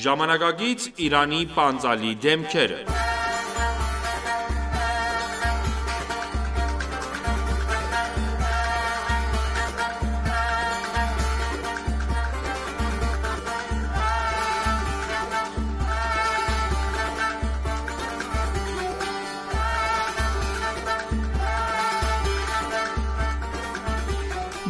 Ժամանակակից Իրանի պանծալի դեմքերը։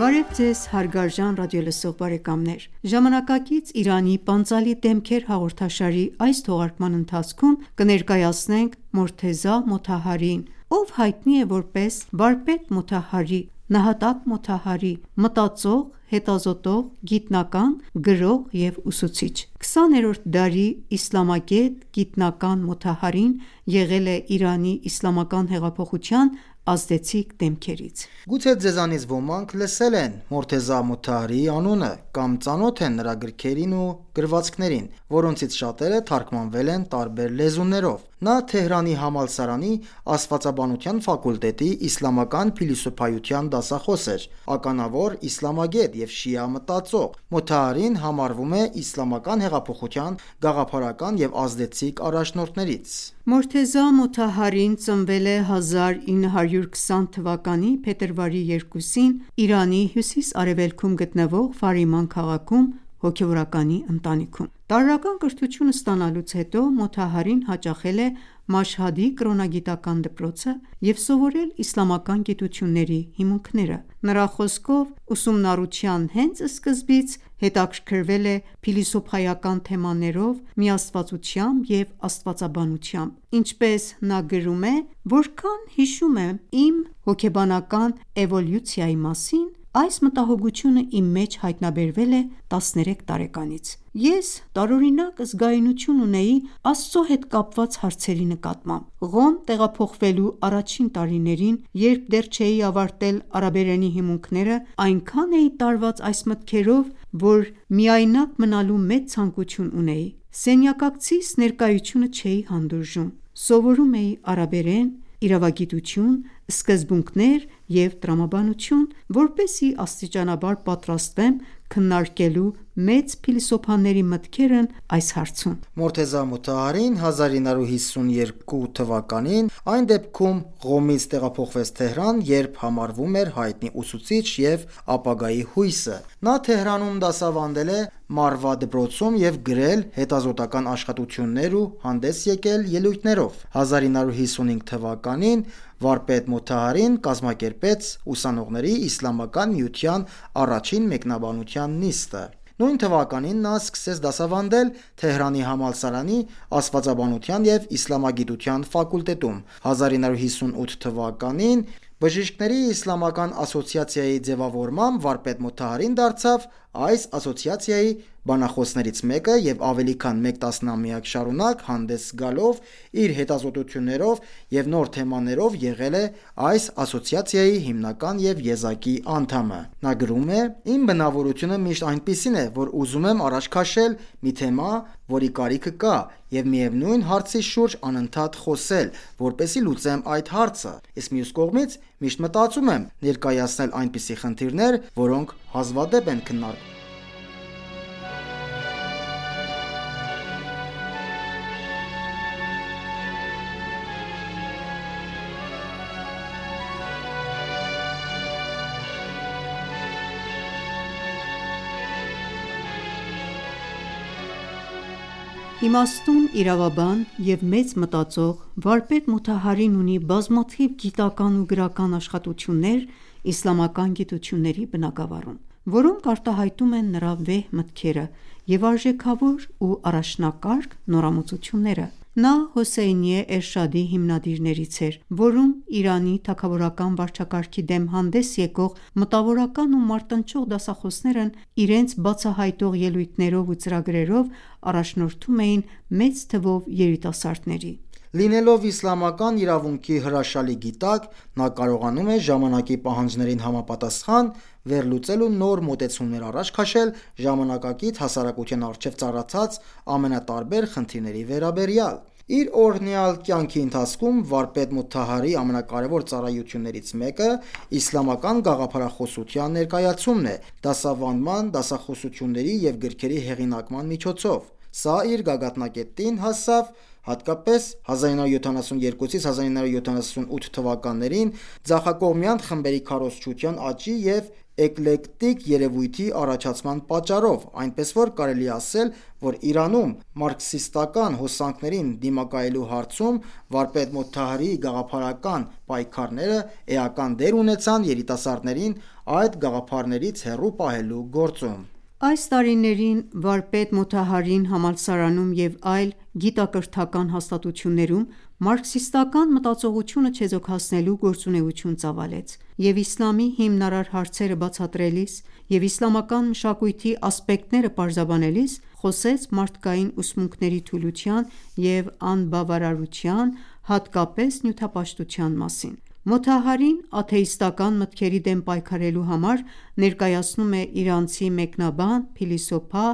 Բարև ձեզ հարգարժան ռադիոլսող բարեկամներ: Ժամանակակից Իրանի պանծալի դեմքեր հաղորդաշարի այս թողարկման ընթացքում կներկայացնենք Մորթեզա Մոթահարիին, ով հայտնի է որպես վարպետ Մոթահարի, նահատակ Մոթահարի, մտածող, հետազոտող, գիտնական, գրող և ուսուցիչ: 20-րդ դարի իսլամագետ, գիտնական Մոթահարին եղել է Իրանի իսլամական հեղափոխության ազդեցիկ դեմքերից։ Գուցե ձեզանից ոմանք լսել են Մորթեզա Մոթահարիի անունը կամ ծանոթ են նրա գրքերին ու գրվածքներին, որոնցից շատերը թարգմանվել են տարբեր լեզուներով։ Նա Թեհրանի համալսարանի Աստվածաբանության ֆակուլտետի իսլամական փիլիսոփայության դասախոս էր, ականավոր իսլամագետ և շիա մտածող։ Մոթահարին համարվում է իսլամական հեղափոխության գաղափարական և ազդեցիկ առաջնորդներից։ Մորթեզա Մոթահարին ծնվել է 1920 թվականի փետրվարի 2-ին Իրանի հյուսիս-արևելքում գտնվող Ֆարիման քաղաքում հոգևորականի ընտանիքում։ Տարրական կրթություն ստանալուց հետո Մոթահարին հաճախել է Մաշհադի կրոնագիտական դպրոցը և սովորել իսլամական գիտությունների հիմունքները։ Նրա խոսքով, ուսումնառության հենց սկզբից հետաքրքրվել է փիլիսոփայական թեմաներով, միաստվածությամբ և աստվածաբանությամբ։ Ինչպես նա գրում է. «Որքան հիշում եմ իմ հոգեբանական էվոլյուցիայի մասին, այս մտահոգությունը իմ մեջ հայտնաբերվել է 13 տարեկանից։ Ես տարօրինակ զգայունություն ունեի Աստծո հետ կապված հարցերի նկատմամբ։ Ղոմ տեղափոխվելու առաջին տարիներին, երբ դեռ չէի ավարտել արաբերենի հիմունքները, այնքան էի տարված այս մտքերով, որ միայնակ մնալու մեծ ցանկություն ունեի։ Սենյակակցիս ներկայությունը չէի հանդուրժում։ Սովորում էի արաբերեն, իրավագիտություն, սկզբունքներ և տրամաբանություն, որպեսզի աստիճանաբար պատրաստվեմ քննարկելու մեծ փիլիսոփաների մտքերն այս հարցում»։ Մորթեզա Մոթահարին 1952 թվականին այն դեպքում Ղոմից տեղափոխվեց Թեհրան, երբ համարվում էր հայտնի ուսուցիչ և ապագայի հույսը։ Նա Թեհրանում դասավանդել է Մարվա դպրոցում և գրել հետազոտական աշխատություններ ու հանդես եկել ելույթներով։ 1955 թվականին վարպետ Մոթահարին կազմակերպեց ուսանողների իսլամական միության առաջին մեկնաբանության նիստը։ Նույն թվականին նա սկսեց դասավանդել Թեհրանի համալսարանի Աստվածաբանության և իսլամագիտության ֆակուլտետում։ 1958 թվականին Բժիշկների իսլամական ասոցիացիայի ձևավորմամբ վարպետ Մոթահարին դարձավ այս ասոցիացիայի բանախոսներից մեկը և ավելի քան մեկ տասնամյակ շարունակ հանդես գալով իր հետազոտություններով և նոր թեմաներով եղել է այս ասոցիացիայի հիմնական և եզակի անդամը։ Նա գրում է. «Իմ բնավորությունը միշտ այնպիսին է, որ ուզում եմ առաջ քաշել մի թեմա, որի կարիքը կա, և միևնույն հարցի շուրջ անընդհատ խոսել, որպեսզի լուծեմ այդ հարցը, իսկ մյուս կողմից միշտ մտածում եմ ներկայացնել այնպիսի խնդիրներ, որոնք հազվադեպ են քննարկվում»։ Իմաստուն իրավաբան և մեծ մտածող, վարպետ Մոթահարին ունի բազմաթիվ գիտական ու գրական աշխատություններ իսլամական գիտությունների բնագավառում, որոնք արտահայտում են նրա վեհ մտքերը և արժեքավոր ու առաջնակարգ նորամուծությունները։ Նա Հոսեյնիե Էրշադի հիմնադիրներից էր, որում Իրանի թագավորական վարչակարգի դեմ հանդես եկող մտավորական ու մարտնչող դասախոսներն իրենց բացահայտող ելույթներով ու ծրագրերով առաջնորդում էին մեծ թվով երիտասարդների։ Լինելով իսլամական իրավունքի հրաշալի գիտակ, նա կարողանում է ժամանակի պահանջներին համապատասխան վերլուծել ու նոր մոտեցումներ առաջ քաշել ժամանակակից հասարակության առջև ծառացած ամենատարբեր խնդիրների վերաբերյալ։ Իր օրհնյալ կյանքի ընթացքում վարպետ Մոթահարիի ամենակարևոր ծառայություններից մեկը իսլամական գաղափարախոսության ներկայացումն է՝ դասավանդման, դասախոսությունների և գրքերի հեղինակման միջոցով։ Սա իր գագաթնակետին հասավ հատկապես 1972-1978 թվականներին ձախակողմյան խմբերի քարոզչության աճի և էկլեկտիկ երևույթի առաջացման պատճառով, այնպես որ կարելի է ասել, որ Իրանում մարքսիստական հոսանքներին դիմակայելու հարցում վարպետ Մոթահարիի գաղափարական պայքարները էական դեր ունեցան երիտասարդներին այդ գաղափարներից հեռու պահելու գործում։ Այս տարիներին վարպետ Մոթահարին համալսարանում և այլ գիտակրթական հաստատություններում մարքսիստական մտածողությունը չեզոքացնելու գործունեություն ծավալեց և իսլամի հիմնարար հարցերը բացատրելիս և իսլամական մշակույթի ասպեկտները պարզաբանելիս խոսեց մարդկային ուսմունքների թուլության և անբավարարության, հատկապես նյութապաշտության մասին։ Մոթահարին աթեիստական մտքերի դեմ պայքարելու համար ներկայացնում է իրանցի մեկնաբան, փիլիսոփա,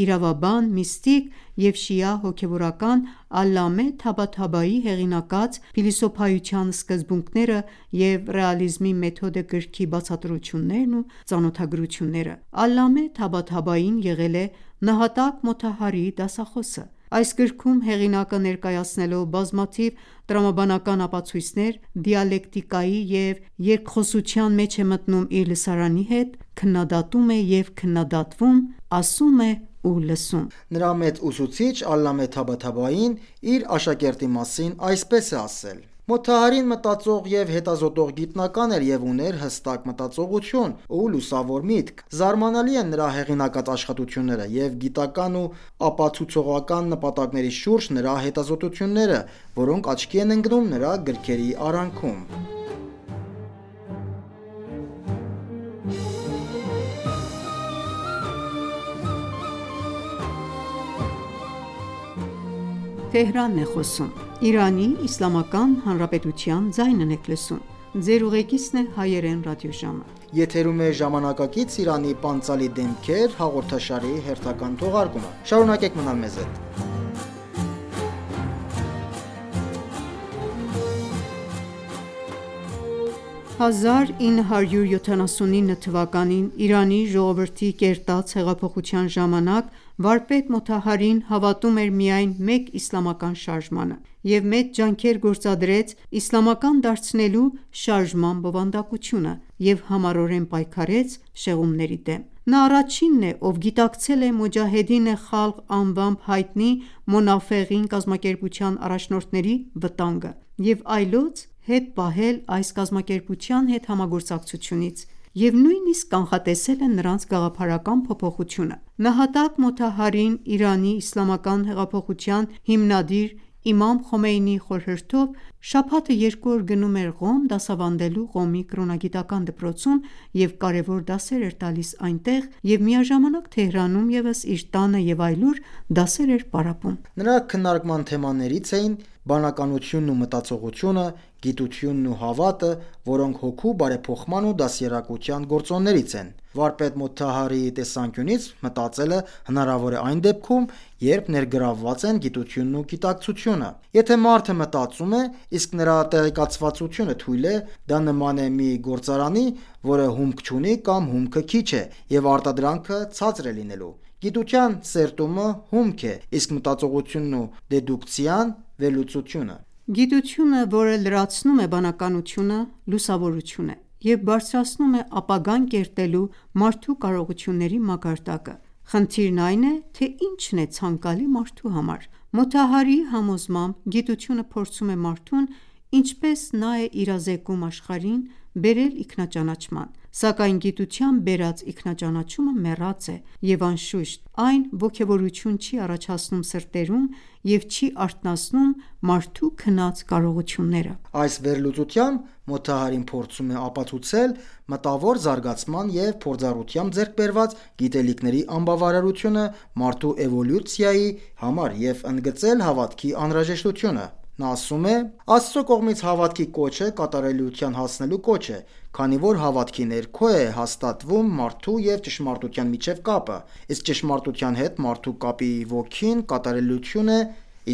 իրավաբան, միստիկ և շիա հոգևորական Ալլամե Թաբաթաբայի հեղինակած «Փիլիսոփայության սկզբունքները և ռեալիզմի մեթոդը» գրքի բացատրություններն ու ծանոթագրությունները։ Ալլամե Թաբաթաբային եղել է նահատակ Մոթահարիի դասախոսը։ Այս գրքում հեղինակը ներկայացնելով բազմաթիվ տրամաբանական ապացույցներ, դիալեկտիկայի և երկխոսության մեջ է մտնում իր լսարանի հետ, քննադատում է և քննադատվում, ասում է ու լսում։ Նրա մեծ ուսուցիչ Ալլամե Թաբաթաբային իր աշակերտի մասին այսպես է ասել. Մոթահարին մտածող և հետազոտող գիտնական էր և ուներ հստակ մտածողություն ու լուսավոր միտք։ Զարմանալի են նրա հեղինակած աշխատությունները և գիտական ու ապացուցողական նպատակների շուրջ նրա հետազոտությունները, որոնք աչքի են ընկնում նրա գրքերի արանքում։ Շարունակեք մնալ մեզ հետ։ 1979 թվականին Իրանի ժողովրդի կերտած հեղափոխության ժամանակ վարպետ Մոթահարին հավատում էր միայն մեկ իսլամական շարժմանը և մեծ ջանքեր գործադրեց իսլամական դարձնելու շարժման բովանդակությունը և համառորեն պայքարեց շեղումների դեմ։ Նա առաջինն է, ով գիտակցել է Մոջահեդին Խալղ անվամբ հայտնի Մոնաֆեղին կազմակերպության առաջնորդների վտանգը և այլոց հետ պահել այս կազմակերպության հետ համագործակցությունից և նույնիսկ կանխատեսել է նրանց գաղափարական փոփոխությունը։ Նահատակ Մոթահարին Իրանի իսլամական հեղափոխության հիմնադիր իմամ Խոմեյնիի խորհրդով շաբաթը 2 օր գնում էր Ղոմ դասավանդելու Ղոմի կրոնագիտական դպրոցում և կարևոր դասեր էր տալիս այնտեղ և միաժամանակ Թեհրանում ևս իր տանը և այլուր դասեր էր պարապում։ Նրա քննարկման թեմաներից էին բանականությունն ու մտածողությունը, գիտությունն ու հավատը, որոնք հոգու բարեփոխման ու դաստիարակության գործոններից են։ Վարպետ Մոթահարիի տեսանկյունից մտածելը հնարավոր է այն դեպքում, երբ ներգրավված են գիտությունն ու գիտակցությունը։ Եթե մարդը մտածում է, իսկ նրա տեղեկացվածությունը թույլ է, դա նման է մի գործարանի, որը հումք չունի կամ հումքը քիչ է, և արտադրանքը ցածր է լինելու։ Գիտության սերտումը հումք է, իսկ մտածողությունն ու դեդուկցիան վերլուծությունը։ Գիտությունը, որը լրացնում է բանականությունը, լուսավորություն է և բարձրացնում է ապագան կերտելու մարդու կարողությունների մակարդակը։ Խնդիրն այն է, թե ինչն է ցանկալի մարդու համար։ Մոթահարիի համոզմամբ գիտությունը փորձում է մարդուն, ինչպես նա է իրազեկում աշխարհին, բերել ինքնաճանաչման, սակայն գիտությամբ բերած ինքնաճանաչումը մեռած է և անշուշտ, այն ոգևորություն չի առաջացնում սրտերում և չի արթնացնում մարդու քնած կարողությունները։ Այս վերլուծությամբ Մոթահարին փորձում է ապացուցել մտավոր զարգացման և փորձառությամբ ձեռք բերված գիտելիքների անբավարարությունը մարդու էվոլյուցիայի համար և ընդգծել հավատքի անհրաժեշտությունը։ Նա ասում է. «Աստծո կողմից հավատքի կոչը կատարելության հասնելու կոչ է, քանի որ հավատքի ներքո է հաստատվում մարդու և ճշմարտության միջև կապը, իսկ ճշմարտության հետ մարդու կապի ոգին կատարելություն է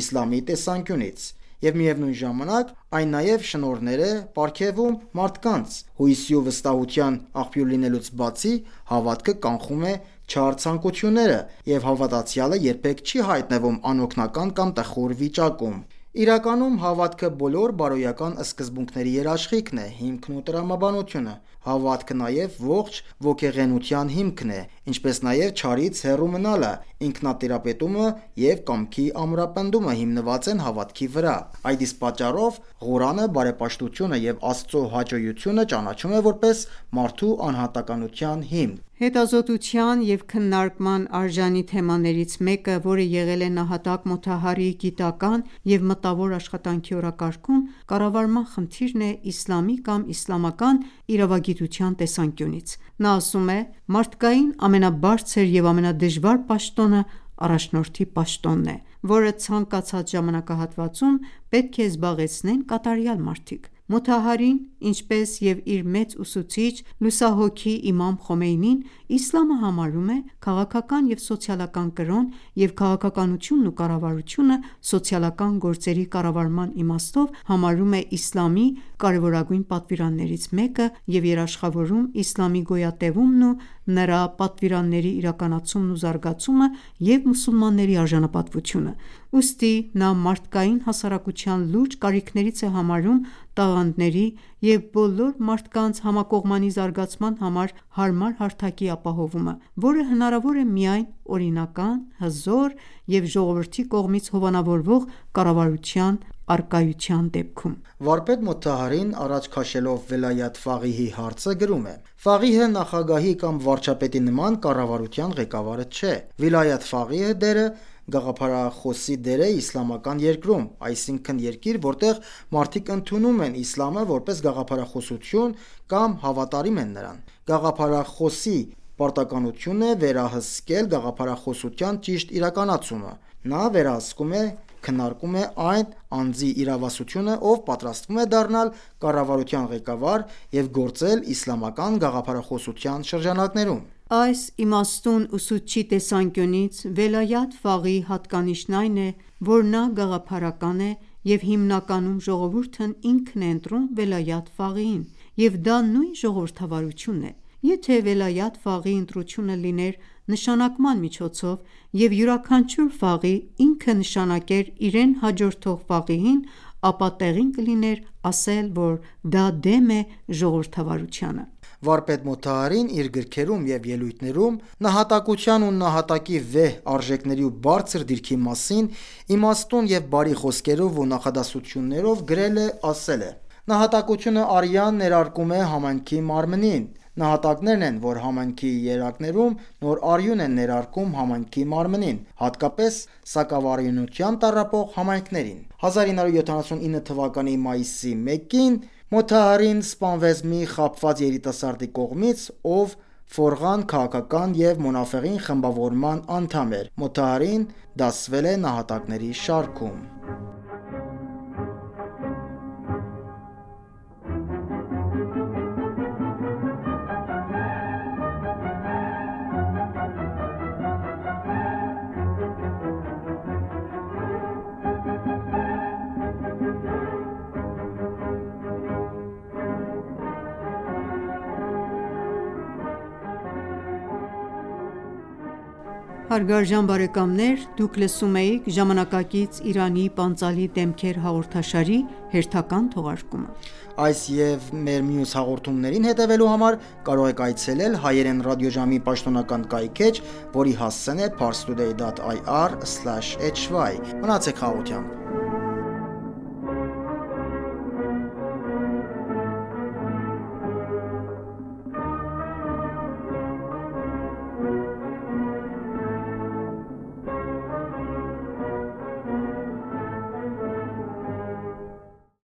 իսլամի տեսանկյունից, և միևնույն ժամանակ այն նաև շնորհներ է պարգևում մարդկանց։ Հույսի ու վստահության աղբյուր լինելուց բացի, հավատքը կանխում է չար ցանկությունները, եւ հավատացյալը երբեք չի հայտնվում անօգնական կամ տխուր վիճակում։ Իրականում հավատքը բոլոր բարոյական սկզբունքների երաշխիքն է, հիմքն ու տրամաբանությունը։ Հավատքը նաև ողջ ոգեղենության հիմքն է, ինչպես նաև չարից հեռու մնալը, ինքնատիրապետումը եւ կամքի ամրապնդումը հիմնված են հավատքի վրա։ Այդ իսկ պատճառով Ղուրանը բարեպաշտությունը եւ Աստծո հաճոյությունը ճանաչում է որպես մարդու անհատականության հիմք։ Հետազոտության և քննարկման արժանի թեմաներից մեկը, որը եղել է նահատակ Մոթահարիի գիտական և մտավոր աշխատանքի օրակարգում, կառավարման խնդիրն է իսլամի կամ իսլամական իրավագիտության տեսանկյունից։ Նա ասում է. «Մարդկային ամենաբարձր և ամենադժվար պաշտոնը առաջնորդի պաշտոնն է, որը ցանկացած ժամանակահատվածում պետք է զբաղեցնեն կատարյալ մարդիկ»։ Մոթահարին, ինչպես և իր մեծ ուսուցիչ լուսահոգի իմամ Խոմեյնին, իսլամը համարում է քաղաքական և սոցիալական կրոն և քաղաքականությունն ու կառավարությունը սոցիալական գործերի կառավարման իմաստով համարում է իսլամի կարևորագույն պատվիրաններից մեկը և երաշխավորում իսլամի գոյատևումն ու նրա պատվիրանների իրականացումն ու զարգացումը և մուսուլմանների արժանապատվությունը։ Ուստի նա մարդկային հասարակության լուրջ կարիքներից է համարում տաղանդների և բոլոր մարդկանց համակողմանի զարգացման համար հարմար հարթակի ապահովումը, որը հնարավոր է միայն օրինական, հզոր և ժողովրդի կողմից հովանավորվող կառավարության առկայության դեպքում։ Վարպետ Մոթահարին, առաջ քաշելով Վելայաթ Ֆաղիհի հարցը, գրում է. «Ֆաղիհը նախագահի կամ վարչապետի նման կառավարության ղեկավարը չէ։ Վիլայաթ Ֆաղիհը դերը գաղափարախոսի դեր է իսլամական երկրում, այսինքն երկիր, որտեղ մարդիկ ընդունում են իսլամը որպես գաղափարախոսություն կամ հավատարիմ են նրան։ Գաղափարախոսի պարտականությունն է վերահսկել գաղափարախոսության ճիշտ իրականացումը։ Նա վերահսկում է, քննարկում է այն անձի իրավասությունը, ով պատրաստվում է դառնալ կառավարության ղեկավար և գործել իսլամական գաղափարախոսության շրջանակներում»։ Այս իմաստուն ուսուցչի տեսանկյունից Վելայաթ Ֆաղիհի հատկանիշն այն է, որ նա գաղափարական է և հիմնականում ժողովուրդն ինքն է ընտրում Վելայաթ Ֆաղիհին, և դա նույն ժողովրդավարությունն է։ Եթե Վելայաթ Ֆաղիհի ընտրությունը լիներ նշանակման միջոցով, և յուրաքանչյուր ֆաղիհ ինքը նշանակեր իրեն հաջորդող ֆաղիհին, ապա տեղին կլիներ ասել, որ դա դեմ է ժողովրդավարությանը։ Վարպետ Մոթահարին իր գրքերում և ելույթներում նահատակության ու նահատակի վեհ արժեքների ու բարձր դիրքի մասին իմաստուն և բարի խոսքերով ու նախադասություններով գրել է, ասել է. «Նահատակությունը արյան ներարկում է համայնքի մարմնին։ Նահատակներն են, որ համայնքի երակներում նոր արյուն են ներարկում համայնքի մարմնին, հատկապես սակավարյունությամբ տառապող համայնքներին»։ 1979 թվականի մայիսի 1-ին Մոթահարին սպանվեց մի խաբված երիտասարդի կողմից, ով Ֆորղան քաղաքական և Մոնաֆեղին խմբավորման անդամ էր։ Մոթահարին դասվել է նահատակների շարքում։ Հարգարժան բարեկամներ, դուք լսում էիք «Ժամանակակից Իրանի պանծալի դեմքեր» հաղորդաշարի հերթական թողարկումը։ Այս և մեր մյուս հաղորդումներին հետևելու համար կարող եք այցելել հայերեն ռադիոժամի պաշտոնական կայքէջ, որի հասցեն է parstoday.ir/hy։ Մնացեք խաղաղությամբ։